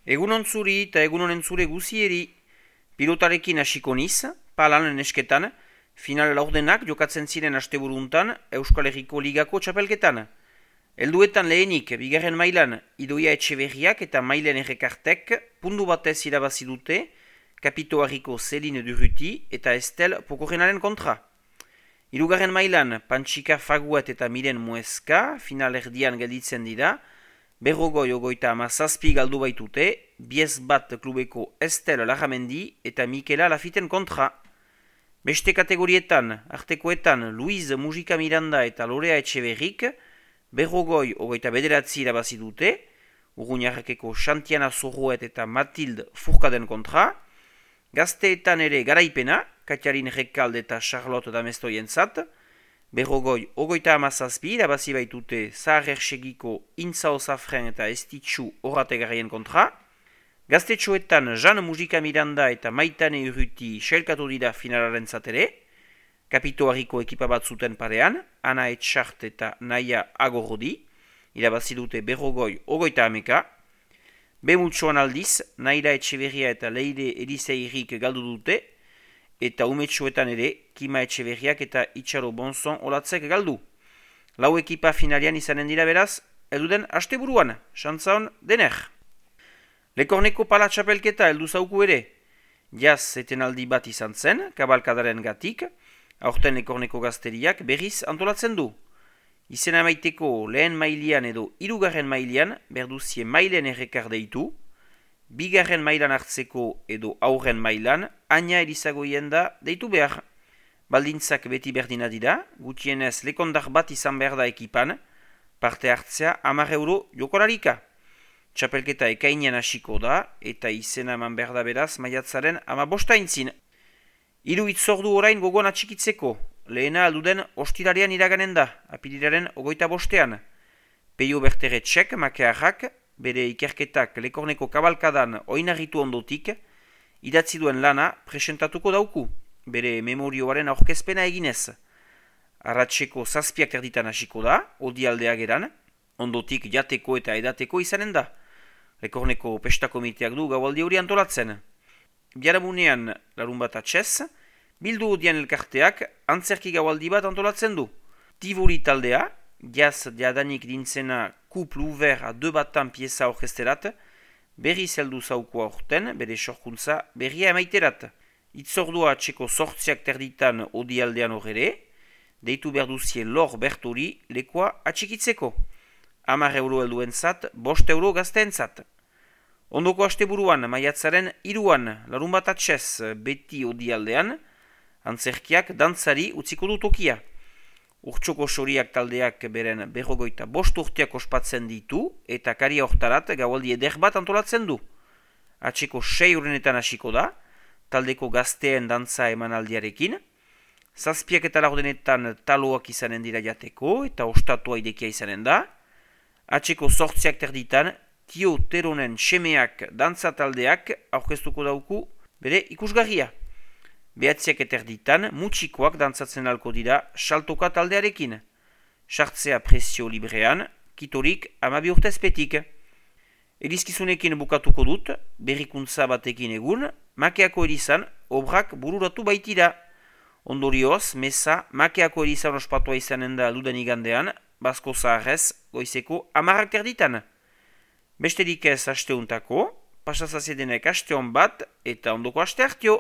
Egunon zuri eta egunon entzure guzieri, pilotarekin hasiko niz, palan nesketan, final laurdenak jokatzen ziren asteburuntan Euskal Herriko Ligako txapelketan. Helduetan lehenik, bigarren mailan, Idoia Etxeberriak eta Mailen Errekartek pundu batez irabazi dute, Kapitoarriko Celine Durruti eta Estel Pokorrenaren kontra. Hirugarren mailan, Pantxika Faguat eta Miren Mueska, final erdian gelditzen dira, Berrogoi ogoita amazazpi galdu baitute, biez bat klubeko Estel Larramendi eta Mikela Lafiten kontra. Beste kategorietan, artekoetan Luiz Mujika Miranda eta Lorea Etxeberrik, Berrogoi ogoita bederatzi irabazi dute, Urruñarrekeko Xantiana Zorroet eta Matilde Furkaden kontra. Gazteetan ere garaipena, Katiarin Rekalde eta Charlotte Damestoientzat, Berrogoi ogoita amazazpi irabazi baitute Zahar-Ersegiko Intzao Zafren eta Estitxu Horrategarrien kontra. Gaztetxoetan Jean Mujika Miranda eta Maitane Urruti sailkatu dira finalaren zatere. Kapitoarriko ekipa bat zuten parean, Ana Etxart eta Naia Agorrodi, irabazi dute Berrogoi ogoita ameka. Bemutxoan aldiz, Naila Etxeberria eta Leire Eliseirik galdu dute, eta umetxoetan ere, Kima Etxeberriak eta Itxaro Bonzon olatzek galdu. Lau ekipa finalian izanen dira beraz, elduden asteburuan, xantzaon dener. Lekorneko pala txapelketa heldu zauku ere, jaz etenaldi bat izan zen, kabalkadaren gatik, aurten Lekorneko gazteriak berriz antolatzen du. Izena maiteko lehen mailian edo hirugarren mailian berduzie Mailen Errekar deitu, bigarren mailan hartzeko edo aurren mailan Aina Elizagoien da deitu behar. Baldintzak beti berdina dira, gutienez lekondar bat izan behar da ekipan, parte hartzea 10 euro jokolarika. Txapelketa ekainean hasiko da eta izena eman behar da beraz maiatzaren 15 aintzin. Hiru itzordu orain gogoan atxikitzeko. Lehena alduden ostirarian iraganen da, apirilaren 25. Peio Berteretxek, makearrak, bere ikerketak Lekorneko kabalkadan oinarritu ondotik, idatzi duen lana presentatuko dauku, bere memorioaren aurkezpena eginez. Arratxeko 7 erditan hasiko da, odialdea geran, ondotik jateko eta edateko izanen da. Lekorneko pestakomiteak du gaualdi hori antolatzen. Biaramunean larun bat atxez, bildu odian elkarteak antzerki gaualdi bat antolatzen du. Tivoli taldea, jaz jadanik dintzena Couple Ouvert a 2 batan pieza orkesterat, berri zeldu zauko aurten, bere sorkuntza berria emaiterat. Itzordua txeko 8 terditan odialdean horre, deitu berduzien Lor Bertori lekoa atxikitzeko. 10 euro helduentzat, 5 euro gazteentzat. Ondoko asteburuan, maiatzaren 3an, larun bat atxez, beti odialdean, antzerkiak dantzari utziko du tokia. Urtsoko soriak taldeak beren berrogoita 5 urteak ospatzen ditu eta karia hortarat gaualdi eder bat antolatzen du. Atxeko 6 urenetan hasiko da, taldeko gazteen dantza emanaldiarekin. 7 eta laurdenetan taloak izanen dira jateko eta ostatua idekia izanen da. Atxeko 8 terditan, Tio Teronen semeak dantza taldeak aurkeztuko dauku bere ikusgarria. 9 eterditan, mutxikoak dantzatzen alko dira saltoka taldearekin. Sartzea prezio librean, kitorik 12 urtezpetik. Elizkizunekin bukatuko dut, berrikuntza batekin egun, Makeako erizan obrak bururatu baitira. Ondorioz, meza Makeako erizan ospatua izanen da luden igandean, Basko Zaharrez goizeko 10 erditan. Besterik ez asteuntako, pasazazedenek asteon bat eta ondoko aste hartio.